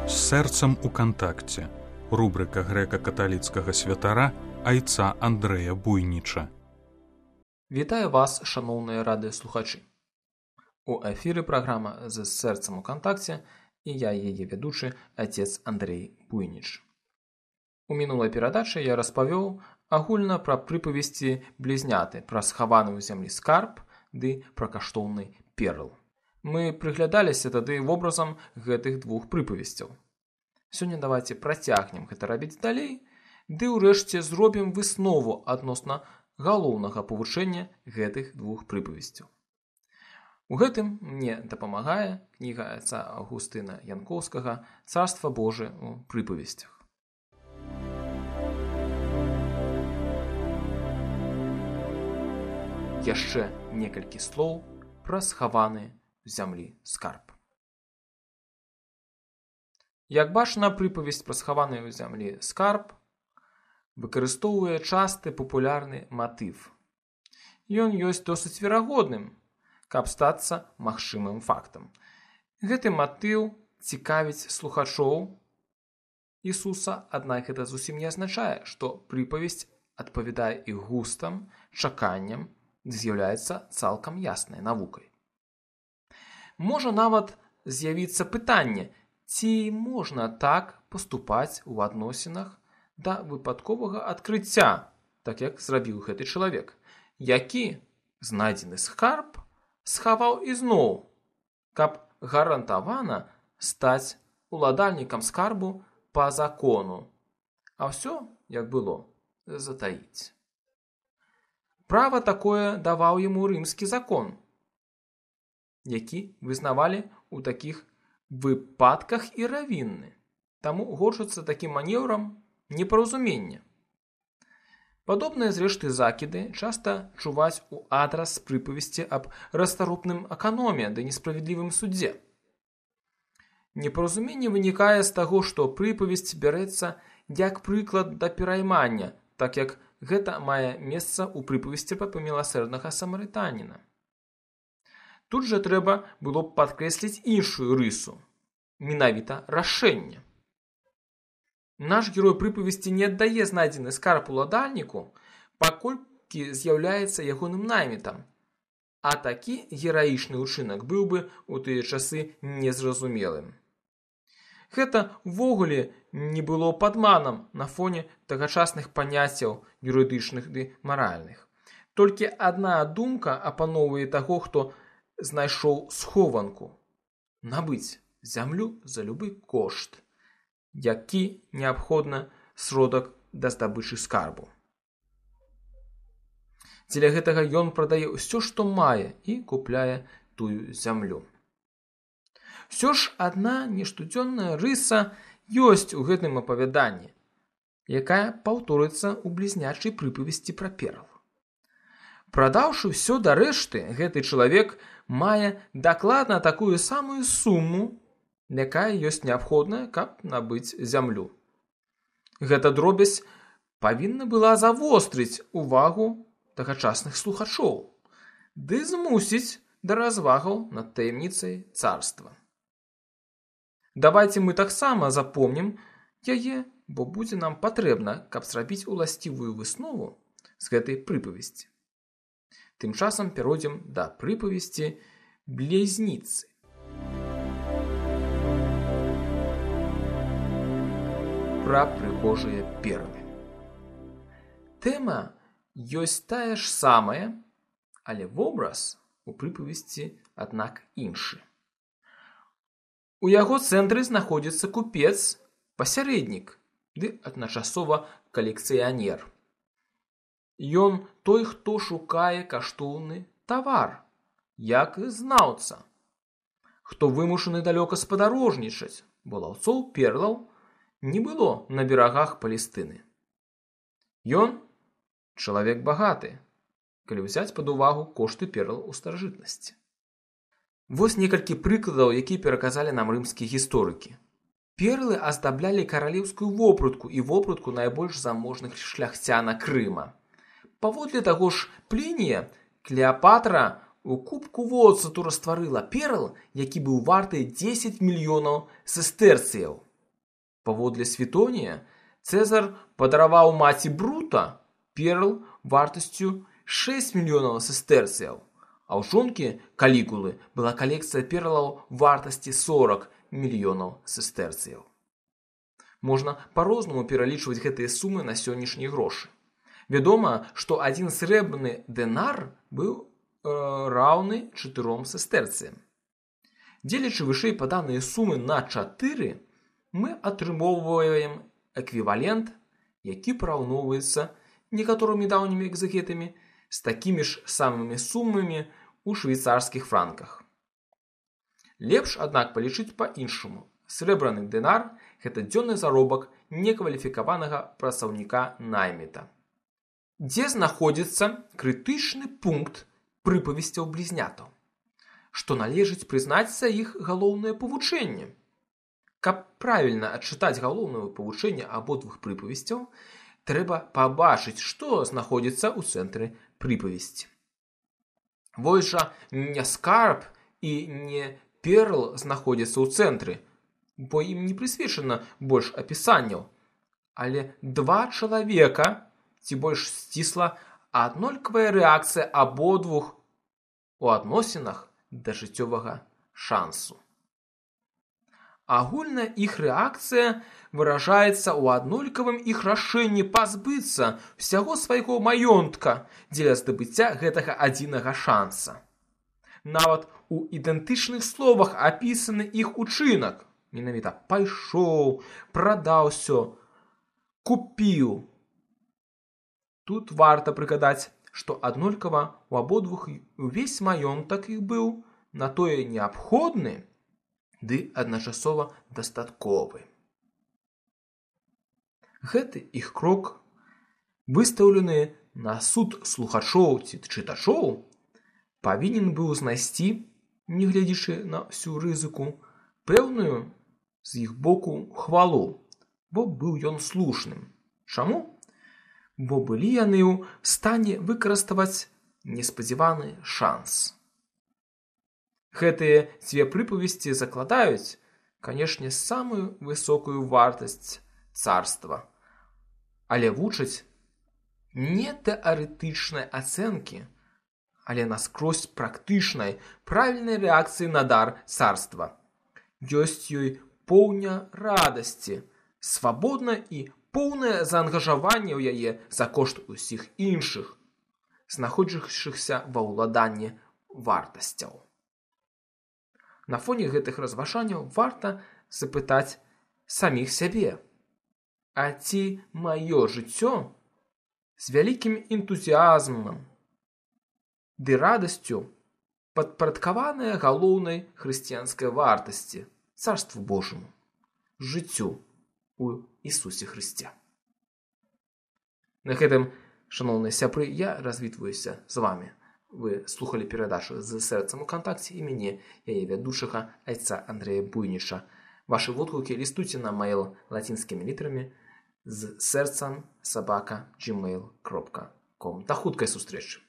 З сэрцам у кантакце. Рубрика грэка-каталіцкага святара айца Андрэя Буйніча. Вітаю вас, шаноўныя радыёслухачы. У эфіры праграма «З сэрцам у кантакце» і я, яе вядучы, отец Андрей Буйніч. У мінулай перадачы я распавёў агульна пра прыпавесці блізняты, пра схаваны ў зямлі скарб ды пра каштоўны перл. Мы прыглядаліся тады вобразам гэтых двух прыпавесцяў. Сёння давайце працягнем гэта рабіць далей, ды ўрэшце зробім выснову адносна галоўнага павучэння гэтых двух прыпавесцяў. У гэтым мне дапамагае кніга айца Аўгустына Янкоўскага «Царства Божие у прыпавесцях». Яшчэ некалькі слоў пра схаваны ў зямлі скарб. Як бачна, прыпавесць пра схаваны ў зямлі скарб выкарыстоўвае часты папулярны матыв. Ён ёсць досыць верагодным, каб стацца магчымым фактам. Гэты матыў цікавіць слухачоў Ісуса, аднак гэта зусім не азначае, што прыпавесць адпавядае іх густам, чаканням, з'яўляецца цалкам яснай навукай. Можа нават з'явіцца пытанне, ці можна так паступаць у адносінах да выпадковага адкрыцця, так як зрабіў гэты чалавек, які знайдзены скарб схаваў ізноў, каб гарантавана стаць уладальнікам скарбу па закону, а ўсё, як было, затаіць. Права такое даваў яму рымскі закон, які вызнавалі ў такіх выпадках і равінны. Таму гончацца такім манеўрам непаразумення. Падобныя зрэшты закіды часта чуваць у адрас прыпавесці аб расторопным эканоме ды несправядлівым судзе. Непаразуменне вынікае з таго, што прыпавесць бярэцца як прыклад да пераймання, так як гэта мае месца ў прыпавесці пра міласэрнага самарытаніна. Тут жа трэба было б падкрэсліць іншую рысу, менавіта рашэнне. Наш герой прыпавесці не аддае знайдзены скарб уладальніку, паколькі з'яўляецца ягоным наймітам, а такі гераічны ўчынак быў бы ў тыя часы незразумелым. Гэта ўвогуле не было падманам на фоне тагачасных паняццяў юрыдычных ды маральных. Толькі адна думка апаноўвае таго, хто знайшоў схованку – набыць зямлю за любы кошт, які неабходны сродак да здабычы скарбу. Дзеля гэтага ён прадае ўсё, што мае, і купляе тую зямлю. Усё ж адна нештодзённая рыса ёсць у гэтым апавяданні, якая паўторыцца ў блізнячай прыпавесці пра перл. Прадаўшы ўсё да рэшты, гэты чалавек мае дакладна такую самую суму, якая ёсць неабходная, каб набыць зямлю. Гэта дробязь павінна была завострыць увагу тагачасных слухачоў ды змусіць да развагаў над таямніцай царства. Давайце мы таксама запомнім яе, бо будзе нам патрэбна, каб зрабіць уласцівую выснову з гэтай прыпавесці. Тым часам перайдзем да прыпавесці блізніцы. Пра прыгожыя перлы. Тэма ёсць тая ж самая, але вобраз у прыпавесці, аднак, іншы. У яго цэнтры знаходзіцца купец, пасярэднік ды адначасова калекцыянер. Ён той, хто шукае каштоўны тавар, як знаўца, хто вымушаны далёка спадарожнічаць, бо лаўцоў перлаў не было на берагах Палестыны. Ён чалавек багаты, калі ўзяць пад увагу кошты перл у старажытнасці. Вось некалькі прыкладаў, якія пераказалі нам рымскія гісторыкі. Перлы аздаблялі каралеўскую вопратку і вопратку найбольш заможных шляхцяна Крыма. Паводле таго ж Плінія, Клеапатра у кубку воцату растварыла перл, які быў варты 10 мільёнаў сестэрцыяў. Паводле Светонія, Цэзар падараваў маці Брута перл вартасцю 6 мільёнаў сестэрцыяў, а ў жонкі Калігулы была калекцыя перлаў вартасці 40 мільёнаў сестэрцыяў. Можна па-рознаму пералічваць гэтыя сумы на сённяшнія грошы. Вядома, што адзін срэбраны дэнар быў раўны 4 сестэрцыям. Дзелячы вышэй паданыя сумы на 4, мы атрымоўваем эквівалент, які параўноўваецца некаторымі даўнімі экзегетамі з такімі ж самымі сумамі ў швейцарскіх франках. Лепш, аднак, палічыць па-іншаму. Срэбраны дэнар – гэта дзённы заробак некваліфікаванага працаўніка найміта. Дзе знаходзіцца крытычны пункт прыпавесцяў блізнятаў, што належыць прызнаць за іх галоўнае павучэнне. Каб правільна адчытаць галоўнае павучэнне абодвух прыпавесцяў, трэба пабачыць, што знаходзіцца ў цэнтры прыпавесці. Вось жа не скарб і не перл знаходзяцца ў цэнтры, бо ім не прысвечана больш апісанняў, але 2 чалавека, ці больш сцісла, аднолькавая рэакцыя абодвух у адносінах да жыццёвага шансу. Агульная іх рэакцыя выражаецца ў аднолькавым іх рашэнні пазбыцца ўсяго свайго маёнтка дзеля здабыцця гэтага адзінага шанса. Нават у ідэнтычных словах апісаны іх учынак. Менавіта пайшоў, прадаў усё, купіў. Тут варта прыгадаць, што аднолькава у абодвух увесь маёнтак іх быў на тое неабходны, ды адначасова дастатковы. Гэты іх крок, выстаўлены на суд слухачоў ці чытачоў, павінен быў знайсці, не гледзячы на ўсю рызыку, пэўную з іх боку хвалу, бо быў ён слушным. Чаму? Бо былі яны ў стане выкарыставаць неспадзяваны шанс. Гэтыя 2 прыпавесці закладаюць, канешне, самую высокую вартасць царства, але вучаць не тэарэтычнай ацэнкі, але наскрозь практычнай, правільнай рэакцыі на дар царства. Ёсць ёй поўня радасці, свабодна і поўнае заангажаванне ў яе за кошт усіх іншых, знаходзячыхся ва ўладанні вартасцяў. На фоне гэтых разважанняў варта запытаць саміх сябе: а ці маё жыццё з вялікім энтузіазмам ды радасцю падпарадкаванае галоўнай хрысціянскай вартасці, царству Божаму, жыццю у Ісусе Хрысце. На гэтым, шаноўныя сябры, я развітваюся з вамі. Вы слухалі перадачу «З сэрцам у кантакце» і мяне, яе вядучага, айца Андрэя Буйніша. Вашы водгукі лістуйце на mail лацінскімі літарамі з сэрцам @gmail.com. Да хуткай сустрэчы!